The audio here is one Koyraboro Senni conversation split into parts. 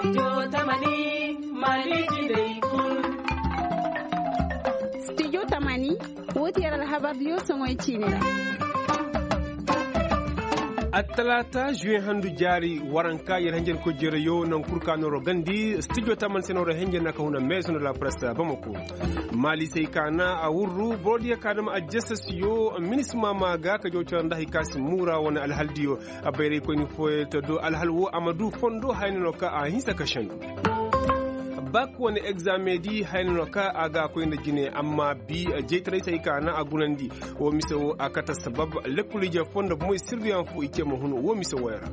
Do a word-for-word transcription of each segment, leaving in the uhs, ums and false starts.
Studio tamani, woo ti yer alhabar diyo soŋoy ciini ra. Attalaata juwe handu jaari waranka yer henjen ko jereyo naŋ kul ka nooro gandi studio tamani se nooro henjen na ka huna meeso nda la presse bamako. Maalisey ka na a wurru boro diyo ka dam ajjasasiyo minisma ma ga ka jaw cere nda hay ka si muura wane alhal diyo. A bayraykoyni fooyaŋ te do alhal woo a ma du fondo haya no ka a hinsa ka sendu. Bak wane egzaameŋ di haya no ka a ga a koy nda jine amma bi jaytaray se ay ka na a gunandi. Woo mise woo a kate sabab lekkol ije foo nda bomoy sirbiyaŋ foo i ce ma hun woo mise wooyaŋ ra.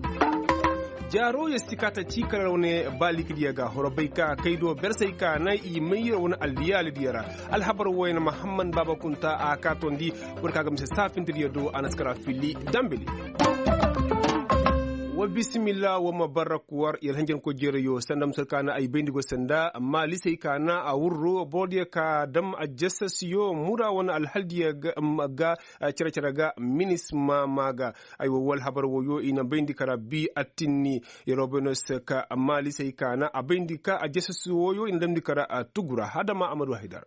Jaaro yer si ka ta ci kala wane baaliki diyo ga horo bay ka kay do bersey ka na i may yer wane alliyaali diyo ra. Alhabar wayna mahamman baaba kunta a ka tondi. Boro ka ga mise saafinta diyo do a na si kara fili dambili. Wa bisimilla wa ma barrak war yer hanjanko jereyo sanda musar ka na ay bayndi go sanda amma lisey ka na a wurro boro diyo ka dam ajjasasiyo mura wane alhal diyo ga cere-cere ga minisma ma ga. Ay wa wal habar woyo i na bayndi kara bi attinni. Yer wo bayno se ka amma lisey ka na a bayndi ka ajjasasi woyo i na damndi kara tugu ra hadama amadu haydar.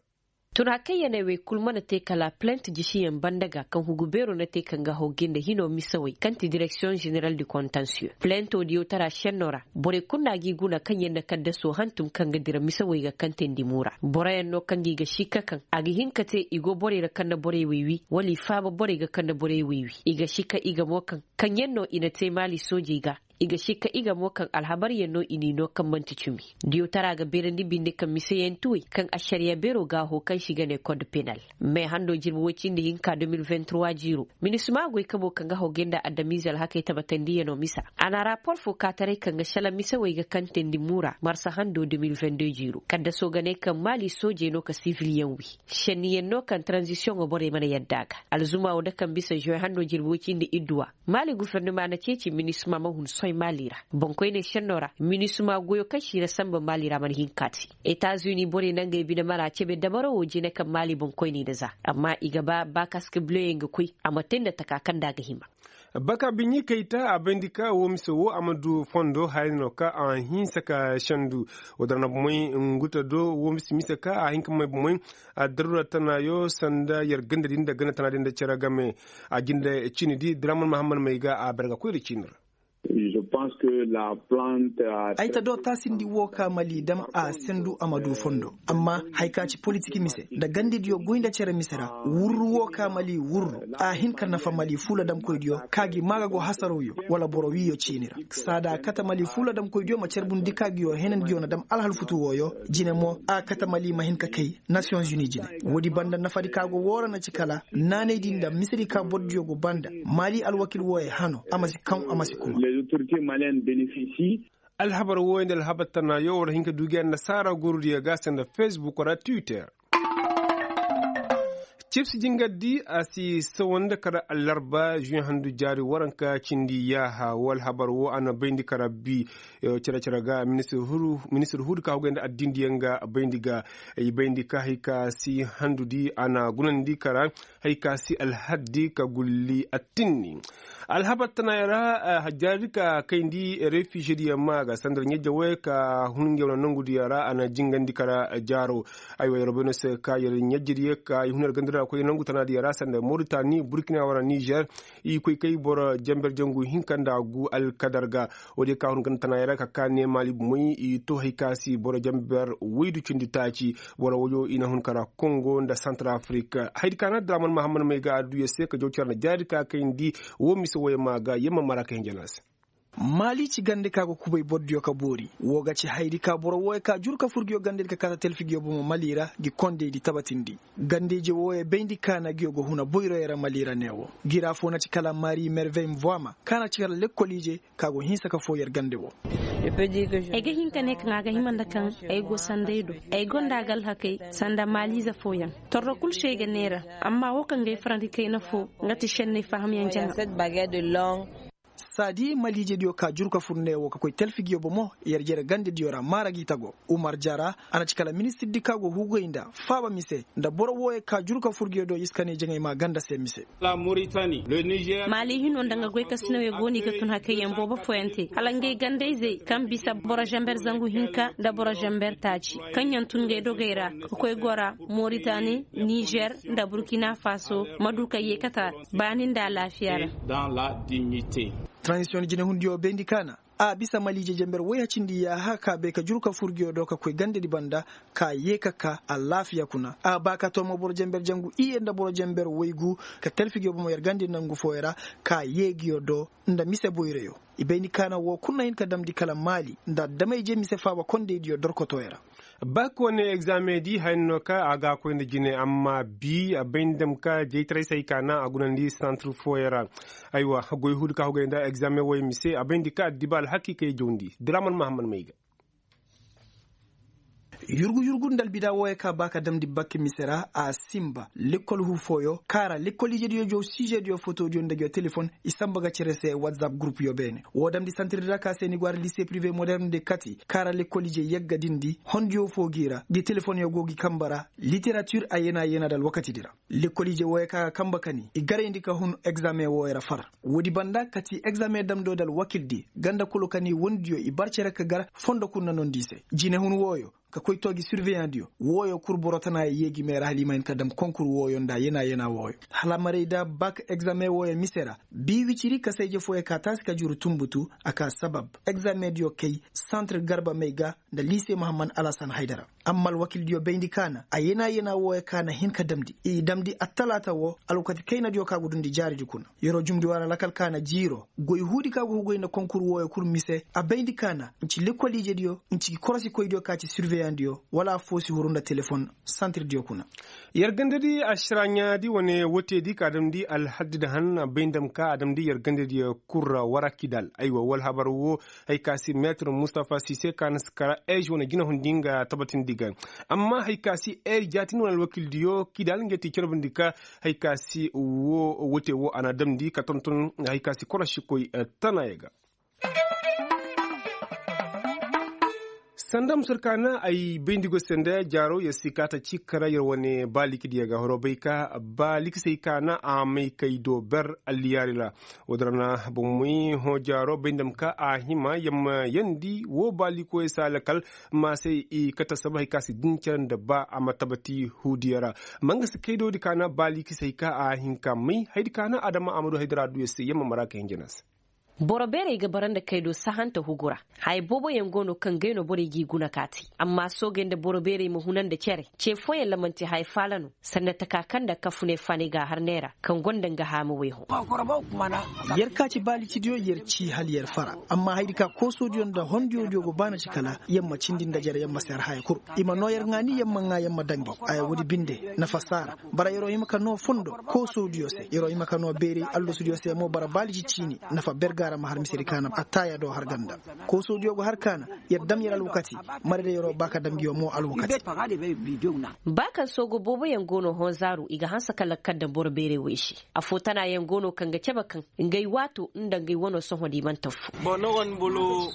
Tun hakayyaney wey kul mana te kala plent jisiyaŋ banda ga kaŋ hugu beero na te kaŋ ga hogge nda hino misawey kaŋ ti direksiyoŋ zeneral di kontansiyo plento diyo tara senno ra. Borey kul na gi guna kaŋ yaŋ na kaddaso hantum kaŋ ga dira misawey ga kaŋ teendi muura boroyaŋ no kaŋ ga i ga sikka kaŋ a ga hin ka te i go borey ra kaŋ na borey wey wi wala i faaba borey ga kaŋ na borey wey wi i ga sikka i ga mo kaŋ kaŋ yaŋ no i na te maali soojey ga. I ga sikka i ga mo kaŋ alhabaryaŋ no i n'i no kaŋ man'ti cumi. Diyo tara ga beerandi binde kaŋ miseyantuwey kaŋ ašariya beero gaaho kaŋ se i ga ne kod penal. Me hando jirbi woy cindi hinka de mil vingt trois jiiro minisima goy kabo kaŋ ga hogey nda adamize alhakey tabatandiyano misa. A na rapor fo kaataray kaŋ ga sala misewey ga kantandi muura marsa hando de mil vingt deux jiiro kaddaso ga ne kaŋ maali soojey no ka sivilyaŋ wi. Senniyaŋ no kaŋ taranzisiyoŋo borey mana yadda a ga. Alzuma wo da kaŋ bisa žuwe hando jirbi woy cindi idduwa. Maali gufernama na ceeci minisma ma hun soy maali ra. Boŋkoyney senno ra minisma goyo kaŋ si na samba maali ra mana hin ka te. Etazuni borey na ngey bine mara cebe dabaro wo jine kaŋ maali boŋkoyney nda za. Amma i ga ba ba kaske buleyaŋ ga koy a ma te nda taka kaŋ nda a ga hima. Baka biɲi kayta a bayndi ka wo mise wo a ma du fondo haya no ka a hinsa ka sendu. Wo dara na bomey nguta do wo mise mise ka a hin ka may bomey. Addarura tanayo sanda yer ganda din da ganda tana din da cere game. A jinde cini di draman mahamman may ga a barga koyri cinir. Ay ta do taasindi wo ka mali dam a sendu a ma du fondo. Amma haya ka ci politik mise nda gandidiyo goy nda cere mise ra wurru wo ka mali wurru a hin ka nafa mali fuula damkoydiyo ka gi maaga go hasarawyo wala boro wiyo ciini ra. Saada a kate mali fuula damkoydiyo ma carbundi ka giyo henandiyo na dam alhalfutu wooyo. Jine mo a kate mali ma hin ka kay nasiyoŋ zuni jine. Woodi banda nafadi ka go woo ra na ci kala naanaydi nda misedi ka bordiyo go banda. Mali alwakil wooyo hano a ma si kaŋ a ma si kuma. Alhabar wooyo nda alhabar tanayo war hin ka du gi annasaara gorudiyo ga sanda facebook ra twitter. Cibsi jingardi a si sawandi kara allarba žuwe handu jaari waranka cindi yaaha woo alhabar woo a na bayndi kara bi. Cere cere ga ministir huudi ka hugay nda addindiyaŋ ga bayndi ga. I bayndi ka hay ka si handudi a na gunandi kara hay ka si alhaddi ka gulli attinni. Alhabar tanayaŋ ra jaari ka kayndi refižediyaŋ ma ga sanda ɲajja woy ka hun ngey wane nongudiyaŋ ra a na jingandi kara jaaro. Aywa yer bay no se ka yer ɲajjediyaŋ ka i hun yer gandira koy nangu tanaadiyaŋ ra sanda moritani burkina wala nizer. I koy kay boro jamber jangu hinka nda gu alkadar ga. Woodiyaŋ ka hun ganda tanayaŋ ra ka ka ne maali bomoy i to hay ka si boro jamber waydu cindi taaci. Boro woyo i na hun kara kongo nda santarafrik. Haydi ka na draman mahammad may ga adduya se ka jaw care na jaari ka kayndi. Wo mise woy ma ga yamma mara ka hinja na se. Maali ci gande ka go kubay bordiyo ka boori. Wo ga ci haydi ka boro woy ka jur ka fur giyo gandedi ka kaata telfi giyo bomo mali ra gi kondeydi tabatindi. Gandeyje woy bayndi ka na giyo go huna boyroyo ra mali ra ne wo. Gira fo na ci kala mari mervey mvoama ka na ci kala lekkoliije ka go hinsa ka fo yer gande wo. Ay ga hin ka ne kaŋ a ga hima nda kaŋ ay go sanday do. Ay gonda ga alhakey sanda maaliize fooyaŋ. Torro kul se ay ga neera. Amma wo kaŋ ga ay farandi kayna fo nga ti senney fahamyaŋ jaŋa. Saadi maliijediyo ka juru ka fur ne wo ka koy talfigiyo bomo yer jere gandediyo ra maara g'i tago. Umar jara, a na ci kala ministirdi ka go hugay nda faaba mise nda boro wooyo ka juru ka fur giyo do i si kanay jaŋay maa ganda se mise. Maali hino nda nga goy kasinawey go no i ga tun hakayyaŋ boobo fooyaŋ te hala ngey gandayzey kaŋ bisa boro zamber zangu hinka nda boro zamber taaci kaŋ yaŋ tun ngey dogey ra ka koy gora, moritani, nizer, nda burkina faso ma du ka yeekata baani nda alaafiya ra. Transisiyoŋ jinehundiyo bayndi kaana a bisa maliije jamber woy hacindi yaaha ka bay ka juru ka fur ngiyo do ka koy gandedi banda, ka yee ka ka alaafiya kuna a ba ka too mo boro jamber jangu iyye nda boro jamber woygu, ka talfi ngiyo bomo yer gandi nangu fooyo ra, ka yee ngiyo do nda mise boyreyo. I bayndi kaana woo kul na hin ka damndi kala maali nda adama-ije mise faaba kondaydiyo dorkotooyo ra. Bak wane egzaameŋ di haya no ka a ga a koy nda jine amma bi a bay nda dam ka jaytaray se hay ka naŋ a gunandi santir fooyaŋ ra. Aywa, goy huudi ka hugay nda egzaameŋ wooyaŋ mise a bay nda ka addiba alhakiikey jawndi draman mahammad may ga. Yurgu yurgu nda albida wooyaŋ ka ba ka damndi bak mise ra a sinba lekkol huu fooyo kaŋ a ra lekkol ijediyo jaw siizediyo fotodiyo nda ngiyo telefon i sanba ga cere se watsap gurupuyo beene. Woo damndi santir di ra ka se ni go a ra lise pirive modern de kati kaŋ a ra lekkol ije yagga din di hondiyo foo g'i ra ngi telefonyo go ngi kanba ra. Literatir a yeenaa yeenaa nda alwakatidi ra lekkol ije wooyaŋ ka ga kanba kani i garayndi ka hun egzaameŋ wooyaŋ ra far. Woodi banda kati egzaameŋ damdo nda alwakildi ganda kulu kani wondiyo i bar cere ka gar fondo kul na nondi i se jinehun wooyo ka koy too gi sirveyaŋdiyo. Wooyo kul boro tanaayo yee gi mee ra hala i ma hin ka dam konkur wooyo nda yeenaa yeenaa wooyo hala maray da bak egzaameŋ wooyo mise ra. Bii wiciri kasa-ije fooyaŋ ka taasi ka juru tunbutu a ka sabab egzaameŋdiyo kay santir garba may ga nda liise mahammad alasan haydara. Amma alwakildiyo bayndi kaana a yeenaa yeenaa wooyaŋ ka na hin ka damndi i damndi attalaata woo alwakati kaynadiyo ka ga dundi jaaridi kuna. Yer'o jumndi wara lakal ka na jiir'o goy huudi ka go hugay nda konkur wooyo kul mise a bayndi kaana nci lekkol ijediyo nci korosikoydiyo ka ci sirveyaŋdiyo wala affoo si huru nda telefon santirdiyo kuna. Yer gandadi ašaraɲaadi wane woteedi ka damndi alhaddi nda han a bay nda dam ka a damndi yer gandadi kul ra wara kidal aywa wala habar woo. Hay ka si meetir mustafa sise ka na si kara eez wane jinahundi nga tabatindi ga. Amma hay ka si eez jaatin wane alwakildiyo kidal nga ti carbundi ka hay ka si woo wote woo a na damndi ka tonton hay ka si korosikoy tanaayo ga. Sanda musur ka na ay bayndi go sanda jaaro yer si kaata ci kara yer wane baalikidiyo ga horo bay ka baalikisey ka na a may kay do ber alliyaari ra. Woodin ra na bomoy hõ jaaro bay nda ma ka a hima yer ma yeendi woo baalikoyey se alakal maasey i kate saba hay ka si din cere nda ba a ma tabati huudiyo ra. Ma nga si kay do di ka na baalikisey ka a hin ka may haydi ka na adama a ma du haydara du yer se yer ma mara ka hin jana se. Boro beerey ga bara nda kaydo sahanta hugu ra. Haya booboyaŋ go no kaŋ gay no borey g'i guna ka te. Amma soogey nda boro beerey ma huna nda cere ce fooyaŋ ra man'ti haya faala no. Sanda taka kaŋ nda kafuney faanay g'a har neera kaŋ gonda nga haamawey hõ. Yer ka ci baalicidiyo yer ci hala yer fara. Amma hayadi ka koosodiyo nda hondiyodiyo go baana ci kala yer ma cindi nda jere yer ma seer haya kul. I ma noo yer ŋaani yer ma ŋaa yer ma daŋ gi. Haya woodi binde nafa si a ra. Bara yer'o hima ka noo fondo koosodiyo se yer'o hima ka noo beeray allasudiyo se mo bara baalici ciini. Nafa ber ga a ra ma har misedi kaana attaaya do har ganda. Koosodiyo go har kaana. Yer dam yer alwakati. Marayda yer'o ba ka dam ngiyo mo alwakati. Ba kaŋ soogo booboyaŋ go no honzaaru i ga hanse ka lakkal daŋ boro beeray wey se. Afoo tanaayaŋ go no kaŋ ga cabe kaŋ ngey waato nda ngey wano sohõ da i mana tafu.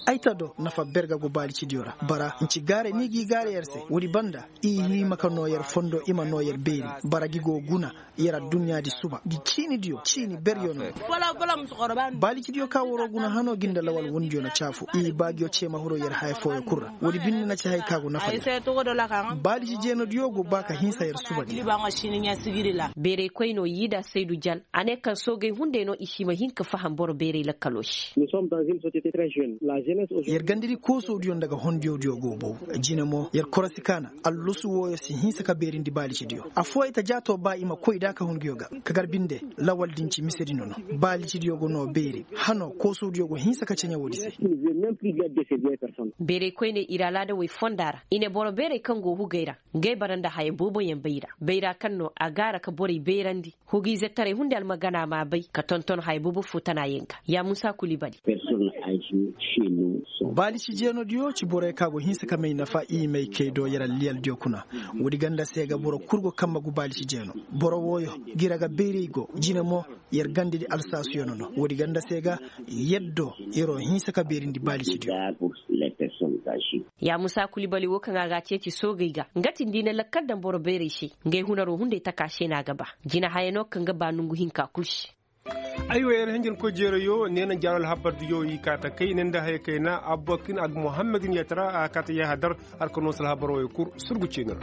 Ay ta do nafa ber ga go baalicidiyo ra. Bara nci gaaray ni g'i gaaray yer se woodi banda. I hima ka noo yer fondo i ma noo yer beeri. Bara gi go guna yer adduɲɲaadi suba gi ciinidiyo ciini beryo no. Baalicidiyo ka waroo guna hanoo gi nda lawal wondiyo na caafu i baagiyo cee ma huroo yer haya fooyo kul ra woodi binde na ci haya ka go nafa yer. Baalici jeenodiyo go ba ka hinsa yer suba di. Beeraykoy no yiida saydu jan a ne kaŋ soogey hunday no i si ma hin ka faham boro beeray lakkaloo se. Yer gandadi koosodiyo nda ga hondiyodiyo go bow. Jine mo yer korosi kaana allusu wooyo si hinsa ka beerindi baalicidiyo. Affooyaŋ ta jaatoo ba i ma koy da ka hun nguyo ga. Ka gar binde lawal din ci misedi no no. Baalicidiyo go noo beeri hanoo koosodiyo go hinsa ka ceɲe woodi se. Beeraykoyney ir alaadawey fonda ra i ne boro beeray kaŋ go hugay ra. Ngey bara nda haya booboyaŋ bayra bayra kaŋ no a gaara ka borey bayrandi. Hugiizetaray hunday almagana m'a bay ka tonton haya boobo foo tanaayaŋ ga. Ya muusa kuli bali. Baali si jeenodiyo ci borey ka go hinsa ka may nafa i may kay do yer alliyaldiyo kuna. Woodi ganda se ga boro kul go kamma gu baali si jeeno. Boro wooyo, gira ga bayray go jine mo. Yer gandadi alsaasuyo no no woodi ganda se ga. Yaddo yer'o hinsa ka beerindi baali si diyo. Ya musa kulibali wo kaŋ a ga a ceeci soogey ga nga ti nda i na lakkal daŋ boro bayray se. Ngey hunaroo hunday taka se no a ga ba. Jinahaya no kaŋ ga ba nongu hinka kul se. Aywa yer hinjinkoy jeerayo neena jaaro alhabardiyo i kaata kay ne nda haya kayna abbakin ag muhammadin yatara a kaata yahadar. Har ka noo si alhabaroo ye kul surgu ciini ra.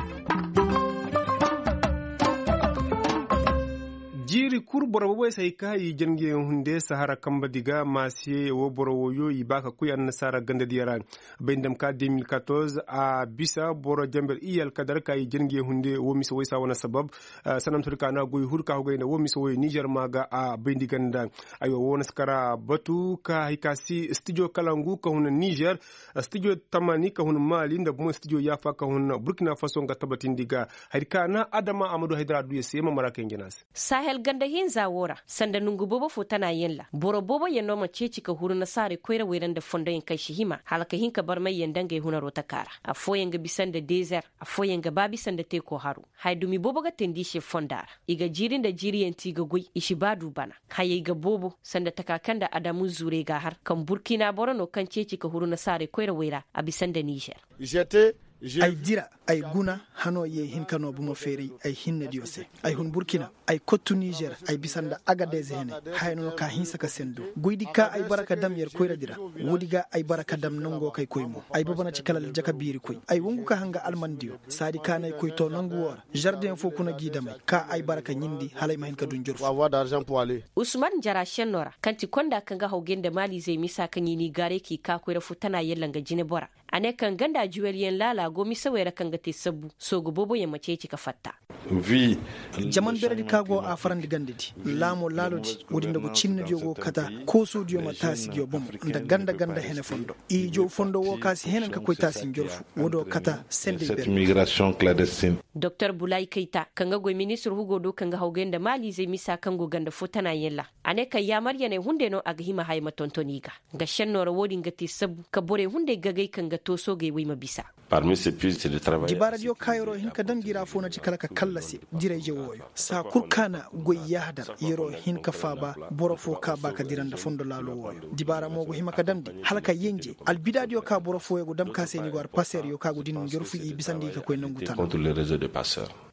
Jiiri kul boro boboy se hay ka i jangiyaŋ hunde sahara kambadi ga maasiye woo boro wooyo i ba ka koy annasaara gandadiyo ra. Bay nda ma ka deux mille quatorze a bisa boro jamber iyye alkadar ka i jangiyaŋ hunde woo mise woy saa wane sabab. Sanda ma turi ka na goy huru ka hogay nda woo mise woy nizer ma ga a bayndi ganda. Aywa woo na si kara batu ka hay ka si stijo kalangu ka hun nizer, stijo tamani ka hun mali nda bumo stijo yaafa ka hun burkina faso nga tabatindi ga. Hari ka na adama a ma du haydara adduya se ma mara ka hinjina se. Sahel ganda hinza woo ra sanda nongu boobo fo tana yaŋ ra boro boobo yaŋ no ma ceeci ka huru nasaarey koyra wayra nda fondoyaŋ kaŋ si hima hala ka hin ka barmay yaŋ nda ngey hunaroo taka ra. Affooyaŋ ga bisa nda dezer, affooyaŋ ga ba bisa nda teeko haro. Haya dumi boobo ga teendi i se fonda ra. I ga jiiri nda jiiriyaŋ te i ga goy i si ba du bana. Hayey ga boobo sanda taka kaŋ nda adamu zuurey ga a har kaŋ burkina boro no kaŋ ceeci ka huru nasaarey koyrawey ra a bisa nda nizer. Ay dira, ay guna hanoo ye hin ka noo bomo feeray ay hinnediyo se. Ay hun burkina, ay kottu nizer, ay bisa nda agadez hene. Haya no ka hinsa ka sendu goydi ka ay bara ka dam yer koyradi ra. Woodi ga ay bara ka dam nangoo kay koy mo ay baba na ci kala aljaka biirikoy ay wangu ka hanga almandiyo. Saadi ka na ay koy too nangu woo ra. Zardeŋ foo kuna g'i damay ka ay bara ka ɲindi hala ay ma hin ka du njorfu. Usman jara šennoo ra kaŋ ti konda kaŋ ga hawgay nda maaliizey misa kaŋ i n'i gaaray k'i kaa koyra foo tana yalla nga jinebora. A ne kaŋ ganda juwelyaŋ laala go misawey ra kaŋ ga te sabbu soogu booboyaŋ ma ceeci ka fatta. Jaman beredi ka go a farandi gandadi laamoo laalodi. Woodi nda go cinnediyo go kata koosoodiyo ma taasi ngiyo bomo nda ganda ganda hene fondo. Ijo fondo woo ka si henen ka koy taasi njorfu woodoo kata sendey beredi. Doktor bulaay kayta kaŋ ga goy ministir hugoo do kaŋ ga hawgay nda maaliizey misa kaŋ go ganda foo tana yaŋ ra. A ne kaŋ yaamaryaney hunday no a ga hima haya ma tonton i ga. Nga šennoo ra woodin ga te sabbu ka borey hunday gagay kaŋ ga too soogey wey ma bisa. Dibaaradiyo kaayaroo hin ka dam ngi ra foo na ci kala ka kallasi dirayje wooyo saa kul ka na goy yahdar. Yeroo hin ka faaba boro foo ka ba ka dira nda fondo laaloo wooyo. Dibaara mo go hima ka damndi hala ka yenje albidaadiyo ka boro fooyo go dam ka se ni go arpaseeriyo ka go din njorfu i bisandi i ka koy nangu tana.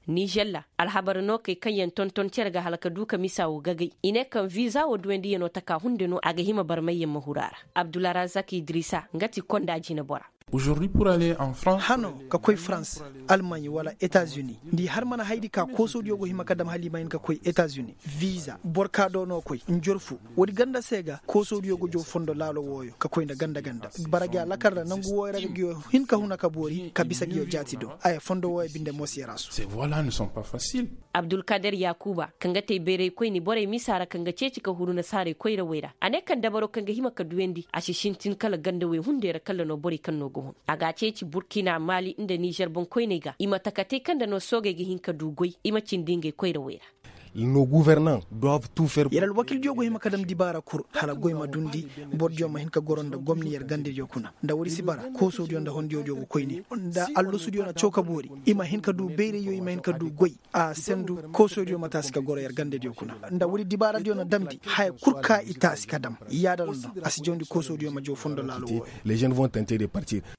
Nižel ra alhabar no kay kaŋ yaŋ tonton cere ga hala ka du ka misa woo gagay i ne kaŋ viza woo duwandiyanoo taka hunde no a ga hima barmayyaŋ ma huru a ra. Abdularazak idrisa nga ti konda jinebora. Hanoo ka koy farans, almaɲ wala etazuni, nda i har mana haydi ka koosoodiyo go hima ka dam hala i ma hin ka koy etazuni. Viza boro ka do no koy njorfu. Woodi ganda se ga koosoodiyo go jow fondo laalo wooyo ka koy nda ganda ganda. Bara gi alakal ra nangu wooyo ra ga ngiyo hin ka huna ka boori ka bisa ngiyo jaati do. Aya fondo wooyo binde moosiyaraasu. Abdulkader yakuba kaŋ ga te bayraykoyni borey misa ra kaŋ ga ceeci ka huru nasaarey koyrawey ra a ne kaŋ dabaro kaŋ ga hima ka duyandi a si sintin kala gandawey hunday ra kalla no borey kaŋ no ga hun. A ga a ceeci burkina maali nda nizer boŋkoyney ga i ma takatey kaŋ nda no soogey ga hin ka du goy i ma cindi ngey koyrawey ra. Yer alwakildiyo go hima ka dam dibaara kul hala goy ma dundi. Borodiyo ma hin ka goro nda gomni yer gandediyo kuna nda woodi si bara koosoodiyo nda hondiyodiyo go koyne nda allasudiyo na caw ka boori. I ma hin ka du bayrayyo i ma hin ka du goy a sendu. Koosoodiyo ma taasi ka goro yer gandediyo kuna nda woodi dibaaradiyo na damndi haya kul ka i taasi ka dam. Yaada no no a si jawndi koosoodiyo ma jaw fondo laalo wooyo.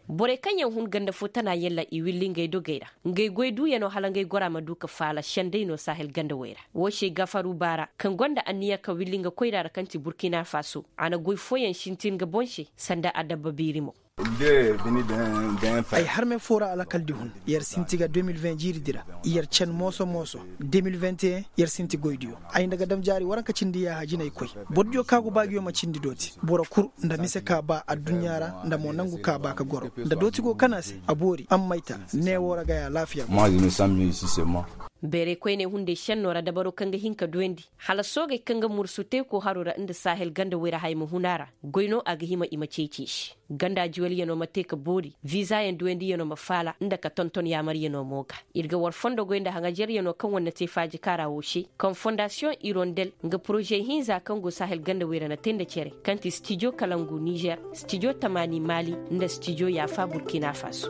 Borey kaŋ yaŋ hun ganda fo tana yalla i willi ngey dogey ra. Ngey goy duuyanoo hala ngey gora ma du ka faala senday no sahel ganda wey ra. Woo se gafaru baara kaŋ gonda anniya ka willi nga koyra ra kaŋ ti burkina faso a na goy fooyaŋ sintin nga boŋ se sanda adabba biiri mo. Ay harme foo ra alakaldi hun yer sinti ga deux mille vingt jiiridi ra. Yer cen mooso mooso deux mille vingt et un yer sinti goydiyo. Ay nda ga dam jaari waranka cindi yaaha jinay koy. Bordiyo ka go baagiyo ma cindi dooti boro kul nda mise ka ba adduɲɲa ra nda mo nangu ka ba ka goro nda dooti go kana se a boori amma ay ta. Ne woo ra ga ya laafiya go. Bayray koyney hunday šennoo ra dabaro kaŋ ga hin ka duyandi hala soogey kaŋ ga mursu teekoo haroo ra nda sahel ganda wayra haya ma hun a ra. Goy no a ga hima i ma ceeci i se. Ganda juwalyanoo ma te ka boori viizayaŋ duyandiyanoo ma faala nda ka tonton yaamaryanoo mo ga. Ir ga war fondo goy nda haŋajeryanoo kaŋ war na te faaji kaara woo se kaŋ fondasiyoŋ irondel nga poroze hinza kaŋ go sahel ganda wayra na te nda cere kaŋ ti stijo kalangu nizer, stijo tamaani maali, nda stijo yaafa burkina faso.